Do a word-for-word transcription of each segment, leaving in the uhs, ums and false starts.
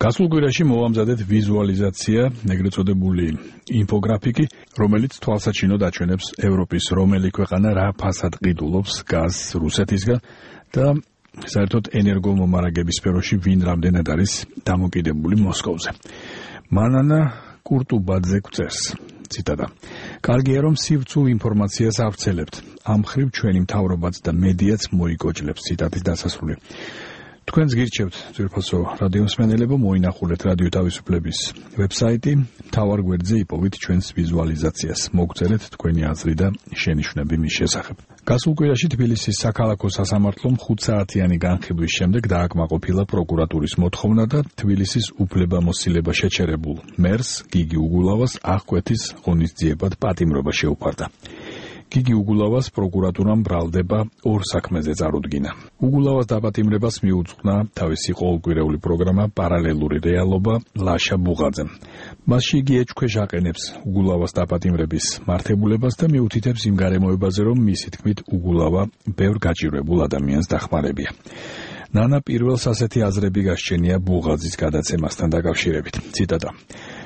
გასულ კვირაში მოვამზადეთ ვიზუალიზაცია, ეგრეთ წოდებული ინფოგრაფიკი, რომელიც თვალსაჩინოდ აჩვენებს ევროპის რომელი ქვეყანა რა ფასად ყიდულობს გაზს რუსეთისგან და საერთოდ ენერგომომარაგების სფეროში ვინ რამდენად არის დამოკიდებული მოსკოვზე. მანანა კურტუბაძე გვწერს, ციტატა. კარგია რომ სივრცულ ინფორმაციას ავრცელებთ. ამ ხრივ ჩვენი მთავრობაც და მედიაც მოიკოჭლებს, ციტატის დასასრული. თქვენს გირჩევთ, ძვირფასო რადიომსმენელებო, მოინახულეთ რადიო თავისუფლების ვებსაიტი, მთავარ გვერდზე იპოვით ჩვენს ვიზუალიზაციას. მოგწერეთ თქვენი აზრი და შენიშვნები მის შესახებ. გასულ კვირაში თბილისის საქალაქო სასამართლომ ხუთსაათიანი განხილვის შემდეგ დააკმაყოფილა პროკურატურის მოთხოვნა და თბილისის უფლებამოსილება შეჩერებულ მერს გიგი უგულავას აღკვეთის ღონისძიებად პატიმრობა შეუფარდა. გიგი უგულავას პროკურატურამ ბრალდება ორ საქმეზე წარუდგინა. უგულავას დაპატიმრებას მიუძღვნა თავისი ყოველკვირეული პროგრამა პარალელური რეალობა ლაშა ბუღაძემ. მასში იგი ეჭქვეშ აყენებს უგულავას დაპატიმრების მართებულებას და მიუთითებს იმ გარემოებაზე, რომ მისი თქმით უგულავა ბევრ გაჭირვებულ ადამიანს დახმარებია. ნანა პირველს ასეთი აზრები გასჩენია ბუღაძის გადაცემასთან დაკავშირებით. ციტატა.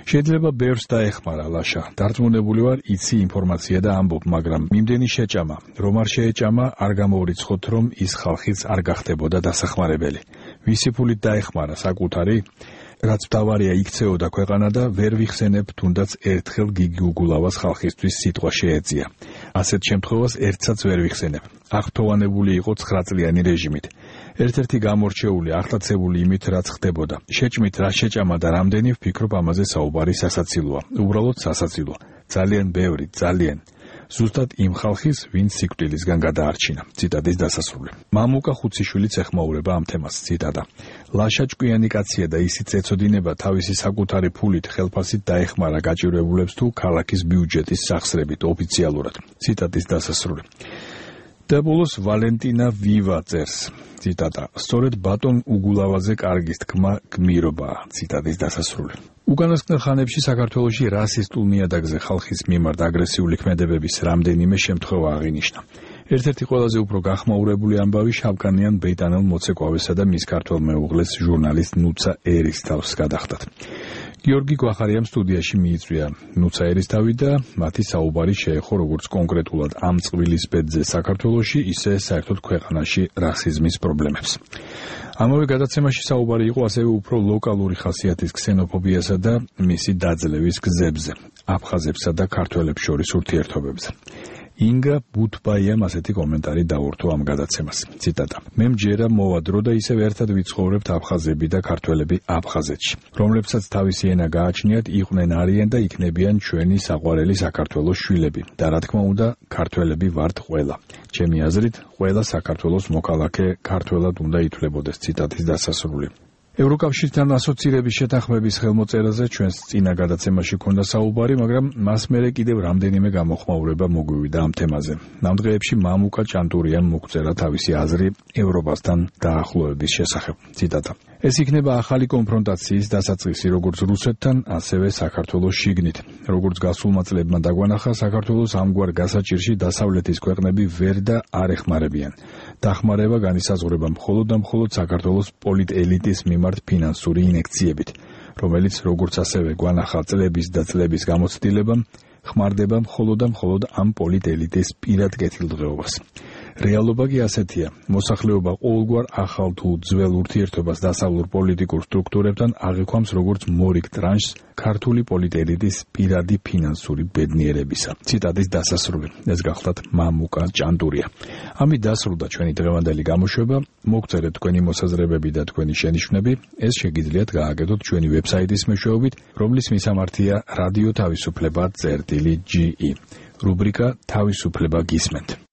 შეიძლება ბევრს დაეხმარა ლაშა. დარწმუნებული ვარ, იცი ინფორმაცია და ამბობ, მაგრამ მიმდენი შეჭამა, რომ არ შეეჭამა, არ გამოვრიცხოთ, რომ ის ხალხიც არ გახდებოდა დასახმარებელი. ვისი ფულით დაეხმარა საკუთარი, რაც მთავარია იქცეოდა ქვეყანა და ვერ ვიხსენებ, თუნდაც ერთხელ გიგი უგულავას ხალხისთვის სიტყვა შეეწია. ასეთ შემთხვევას ერთსაც ვერ ვიხსენებ. აღფრთოვანებული იყო ცხრაწლიანი რეჟიმით. ერთ-ერთი გამორჩეული, ახლაცებული იმით, რაც ხდებოდა. შეჭმით რა შეჭამა და რამდენი ვფიქრობ ამაზე საუბარი სასაცილოა. უბრალოდ სასაცილო. ძალიან ბევრი, ძალიან. ზუსტად იმ ხალხის, ვინც სიკვდილისგან გადაარჩინა. ციტატის დასასრული. მამუკა ხუციშვილიც ეხმაურება ამ თემას. ციტატა. ლაშა ჭკვიანი კაცია და ისიც ეცოდინება თავისი საკუთარი ფულით ხელფასით დაეხმარა გაჭირვებულებს თუ ქალაქის ბიუჯეტის სახსრებით ოფიციალურად. ციტატის დასასრული. და ბოლოს ვალენტინა ვივა წერს. ციტატა. სწორედ ბატონ უგულავაზე კარგის თქმა გმირობაა. ციტატის დასასრული. უკანასკნელ ხანებში საქართველოში რასისტულ ნიადაგზე ხალხის მიმართ აგრესიული ქმედებების რამდენიმე შემთხვევა აღინიშნა. ერთ-ერთი ყველაზე უფრო გახმაურებული ამბავი შავკანიან ბრიტანელ მოცეკვავესა და მის ქართველ მეუღლეს ჟურნალისტ ნუცა ერისთავს გადახდათ. გიორგი გვახარიამ სტუდიაში მიიწვია ნუცა ერისთავი და მათი საუბარი შეეხო როგორც კონკრეტულად ამ წყვილის ბედზე საქართველოში, ისე საერთოდ ქვეყანაში რასიზმის პრობლემებს. ამავე გადაცემაში საუბარი იყო ასევე უფრო ლოკალური ხასიათის ქსენოფობიასა და მისი დაძლევის გზებზე, აფხაზებსა და ქართველებს შორის ურთიერთობებზე. ინგა ბუთბაიამ ასეთი კომენტარი დაურთო ამ გადაცემას. ციტატა. მე მჯერა მოვადრო და ისევ ერთად ვიცხოვრებთ აფხაზები და ქართველები აფხაზეთში, რომლებსაც თავისი ენა გააჩნიათ, იყვნენ არიან და იქნებიან ჩვენი საყვარელი საქართველოს შვილები და რა თქმა უნდა ქართველები ვართ ყველა. ჩემი აზრით, ყველა საქართველოს მოქალაქე ქართველად უნდა ითვლებოდეს. ციტატის დასასრული. ევროკავშირთან ასოცირების შეთანხმების ხელმოწერაზე ჩვენს წინა გადაცემაში ქონდა საუბარი, მაგრამ მას მერე კიდევ რამდენიმე გამოხმაურება მოგვივიდა ამ თემაზე. ამ დღეებში მამუკა ჭანტურიამ მოგწერა თავისი აზრი ევროპასთან დაახლოების შესახებ. ციტატა. ეს იქნება ახალი კონფრონტაციის დასაწყისი როგორც რუსეთთან, ასევე საქართველოს შიგნით. როგორც გასულმა წლებმა დაგვანახა, საქართველოს ამგვარ გასაჭირში დასავლეთის ქვეყნები ვერ და არ ეხმარებიან. დახმარება განისაზღვრება მხოლოდ და მხოლოდ საქართველოს პოლიტ-ელიტის მიმართ ფინანსური ინექციებით, რომელიც როგორც ასევე გვანახა წლების და წლების გამოცდილებამ, ხმარდება მხოლოდ და მხოლოდ ამ პოლიტ-ელიტის პირად კეთილდღეობას. რეალობა კი ასეთია. მოსახლეობა ყოველგვარ ახალ თუ ძველ ურთიერთობას დასავლურ პოლიტიკურ სტრუქტურებთან აღიქვამს როგორც მორიგ ტრანშს ქართული პოლიტ-ელიტის პირადი ფინანსური ბედნიერებისა. ციტატის დასასრული. ეს გახლდათ მამუკა ჭანტურია. ამით დასრულდა ჩვენი დღევანდელი გამოშვება. მოგწერეთ თქვენი მოსაზრებები და თქვენი შენიშვნები. ეს შეგიძლიათ გააკეთოთ ჩვენი ვებსაიტის მეშვეობით, რომლის მისამართია რადიო თავისუფლება წერტილი ჯი ი. რუბრიკა თავისუფლება გისმენთ.